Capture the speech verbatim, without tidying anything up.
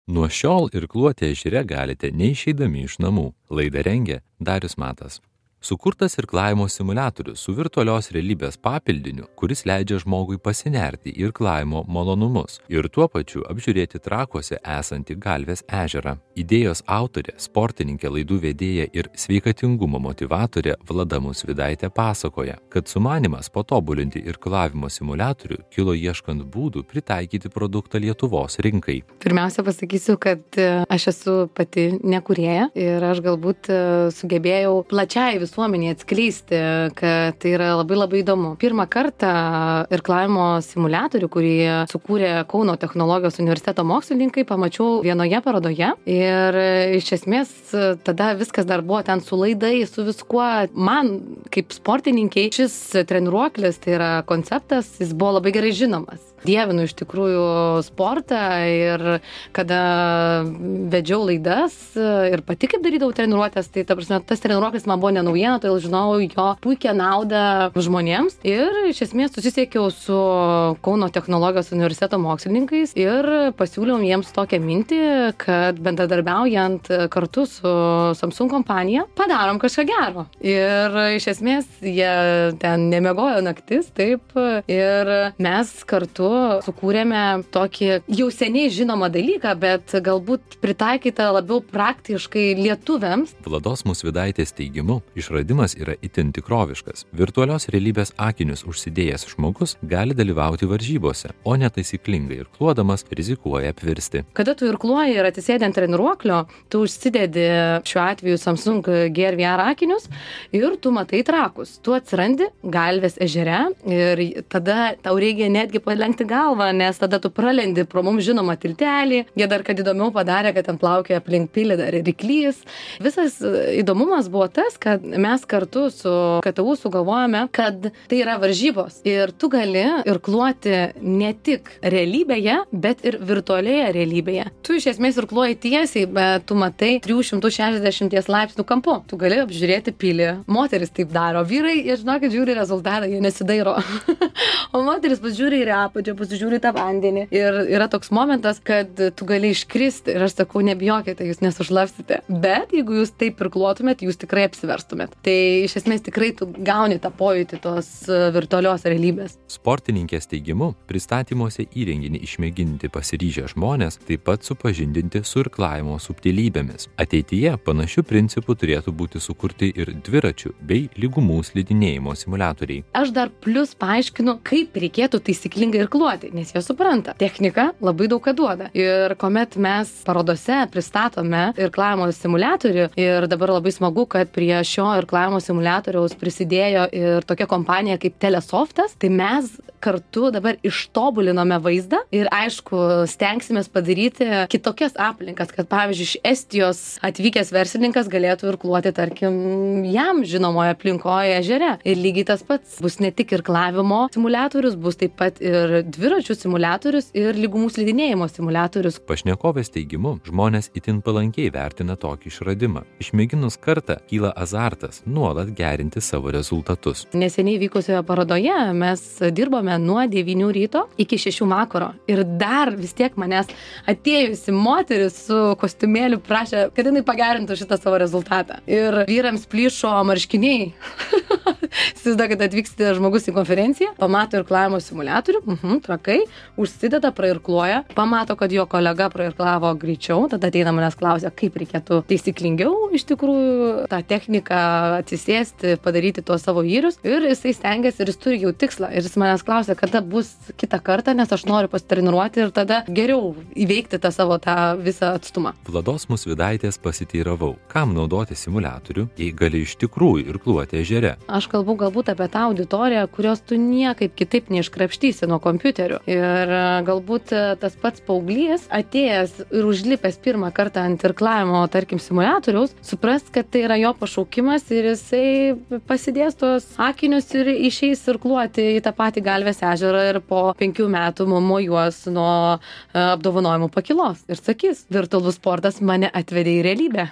Nuo šiol irkluoti ežere galite neišeidami iš namų. Laidą rengė Darius Matas. Sukurtas irklavimo simuliatorius su virtualios realybės papildiniu, kuris leidžia žmogui pasinerti į irklavimo malonumus ir tuo pačiu apžiūrėti trakuose esantį Galvės ežerą. Idėjos autorė, sportininkė, laidų vedėja ir sveikatingumo motyvatorė Vlada Musvydaitė pasakoja, kad sumanymas patobulinti irklavimo simuliatorių kilo ieškant būdų pritaikyti produktą Lietuvos rinkai. Pirmiausia pasakysiu, kad aš esu pati nekūrėja ir aš galbūt sugebėjau plačiai visuomenį atskleisti, kad tai yra labai labai įdomu. Pirmą kartą irklavimo simuliatorių, kurį sukūrė Kauno technologijos universiteto mokslininkai, pamačiau vienoje parodoje ir iš esmės tada viskas dar buvo ten su laidai, su viskuo. Man kaip sportininkiai šis treniruoklis, tai yra konceptas, jis buvo labai gerai žinomas. Dievinu iš tikrųjų sportą ir kada vedžiau laidas ir pati kaip darydavau treniruotės, tai ta prasme, tas treniruoklis man buvo nenaujiena, todėl žinojau jo puikią naudą žmonėms ir iš esmės susisiekiau su Kauno technologijos universiteto mokslininkais ir pasiūliau jiems tokią mintį, kad bendradarbiaujant kartu su Samsung kompanija padarom kažką gero. Ir iš esmės jie ten nemiegojo naktis, taip, ir mes kartu sukūrėme tokį jau seniai žinomą dalyką, bet galbūt pritaikytą labiau praktiškai lietuviams. Vlados Musvydaitės teigimu, išradimas yra itin tikroviškas. Virtualios realybės akinius užsidėjęs žmogus gali dalyvauti varžybose, o netaisyklingai irkluodamas rizikuoja apvirsti. Kada tu irkluoji ir atsisėdi ant treniruoklio, tu užsidedi šiuo atveju Samsung G R V R akinius ir tu matai trakus. Tu atsirandi Galvės ežere ir tada tau reikia netgi palenkti galvą, nes tada tu pralendi pro mums žinomą tiltelį. Jie dar, kad įdomiau padarė, kad ten plaukioja aplink pilį dar ir ryklys. Visas įdomumas buvo tas, kad mes kartu su K T U sugalvojame, kad tai yra varžybos ir tu gali irkluoti ne tik realybėje, bet ir virtualioje realybėje. Tu iš esmės irkluoji tiesiai, bet tu matai trijų šimtų šešiasdešimt laipsnių kampu. Tu gali apžiūrėti pilį. Moteris taip daro. Vyrai, jie žinokit, žiūri rezultatą, jie nesidairo. O moteris pasižiūri į apačią, pasižiūri tą vandenį. Ir yra toks momentas, kad tu gali iškristi. Ir aš sakau, nebijokite, jūs nesušlapsite. Bet jeigu jūs taip irkluotumėt, jūs tikrai apsiverstumėt. Tai iš esmės tikrai tu gauni tą pojūtį tos virtualios realybės. Sportininkės teigimu, pristatymuose įrenginį išmėginti pasiryžę žmonės, taip pat supažindinti su irklavimo subtilybėmis. Ateityje panašių principų turėtų būti sukurti ir dviračių bei lygumų slidinėjimo simuliatoriai. Aš dar plus paaiškinu, kaip reikėtų taisyklingai irkluoti, nes jie supranta. Technika labai daug ką duoda. Ir kuomet mes parodose pristatome irklavimo simuliatorių ir dabar labai smagu, kad prie šio irklavimo simuliatoriaus prisidėjo ir tokia kompanija kaip Telesoftas, tai mes kartu dabar ištobulinome vaizdą ir aišku, stengsimės padaryti kitokias aplinkas, kad pavyzdžiui, iš Estijos atvykęs verslininkas galėtų irkluoti, tarkim, jam žinomoje aplinkoje ežere. Ir lygiai tas pats bus ne tik irklavimo simuliatorius, bus taip pat ir dviračių simuliatorius ir lygumų slidinėjimo simuliatorius. Pašnekovės teigimu, žmonės itin palankiai vertina tokį išradimą. Išmėginus kartą kyla azartas nuolat gerinti savo rezultatus. Neseniai vykusioje parodoje mes dirbome nuo devynių ryto iki šešių vakaro. Ir dar vis tiek manęs atėjusi moteris su kostiumėliu prašė, kad jinai pagerintų šitą savo rezultatą. Ir vyrams plyšo marškiniai. Įsivaizduokit, kad atvyksite žmogus į konferenciją, pamato irklavimo simuliatorių, mhm, trakai, užsideda, prairkluoja, pamato, kad jo kolega prairklavo greičiau, tada ateina manęs klausia, kaip reikėtų taisyklingiau iš tikrųjų tą techniką atsisėsti, padaryti tuos savo įrius ir jisai stengiasi ir jis turi jau tikslą ir jis manęs klausia, kada bus kitą kartą, nes aš noriu pasitreniruoti ir tada geriau įveikti tą savo tą visą atstumą. Vlados Musvydaitės pasiteiravau, kam naudoti simuliatorių, jei gali iš tikrųjų irkluoti ežere. Aš kalbu galbūt apie tą auditoriją, kurios tu niekaip kitaip neiškrapštysi nuo kompiuterių. Ir galbūt tas pats paauglys atėjęs ir užlipęs pirmą kartą ant irklavimo, tarkim, simuliatoriaus, supras, kad tai yra jo pašaukimas ir jisai pasidės tos akinius ir išeis irkluoti į tą patį Galvės ežerą ir po penkių metų mojuos nuo apdovanojimų pakilos. Ir sakys, virtualus sportas mane atvedė į realybę.